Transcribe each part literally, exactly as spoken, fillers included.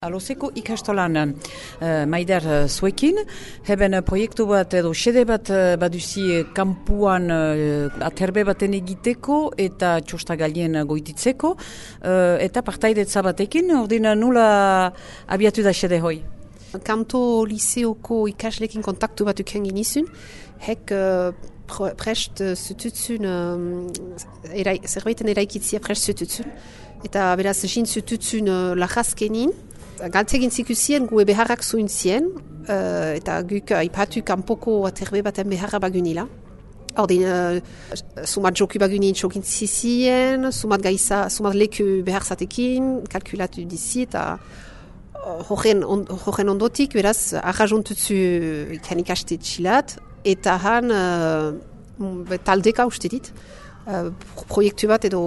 Alozeko ikastolan uh, maider uh, zuekin, heben uh, proiektu bat edo xede bat uh, baduzi uh, kampuan uh, aterbe baten egiteko eta txostagalien uh, goititzeko, uh, eta partaidetza batekin, ordin nula abiatu da xede hoi? Kanto liseoko ikaslekin kontaktu bat uken ginizun, hek uh, prest uh, zututzun, uh, erai, zerbaiten eraikitzia prest zututzun, eta beraz jin zututzun uh, lajazkenin, galtzegin zikusien gue beharrak zuen zien, uh, eta guk aipatu kanpoko aterbe baten beharra bagunila. Ordin, uh, sumat joku bagunin txokin zizien, sumat gaiza, sumat leku behar zatekin, kalkulatu dizi, eta horren on, ondotik, beraz, arrajontutzu ikan ikaste txilat, eta han uh, taldeka uste dit, uh, proiektu bat edo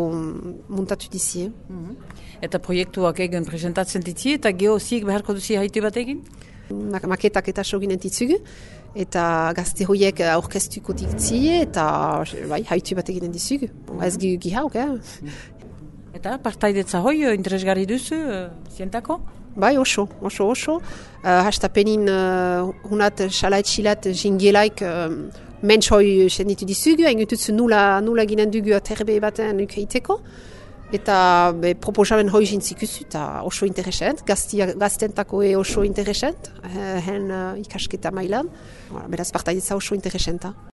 muntatu dizi. Mm-hmm. Eta proiektuak egin presentatzen ditzi, eta geozik beharko duzi haitu bat egin? Maketak eta soginen ditzugu, eta gazte horiek aurkeztuko ditzi, eta bai, haitu bat eginen dizugu. Mm-hmm. Ez gi, gi hauk, eh? Eta partaidetza hoi interesgarri duzu, uh, zientako? Bai, oso, oso, oso. Uh, hastapenin uh, hunat xalaitxilat jingelaik uh, mentx hoi senditu dizugu, engututzu nula, nula ginen dugu aterbe baten ukeiteko. Eta be, proposamen hoi jintzikuzu, eta oso interesant, gaztentako e oso interesant, hen uh, ikasketa mailan. Beraz, partaidetza oso interesanta.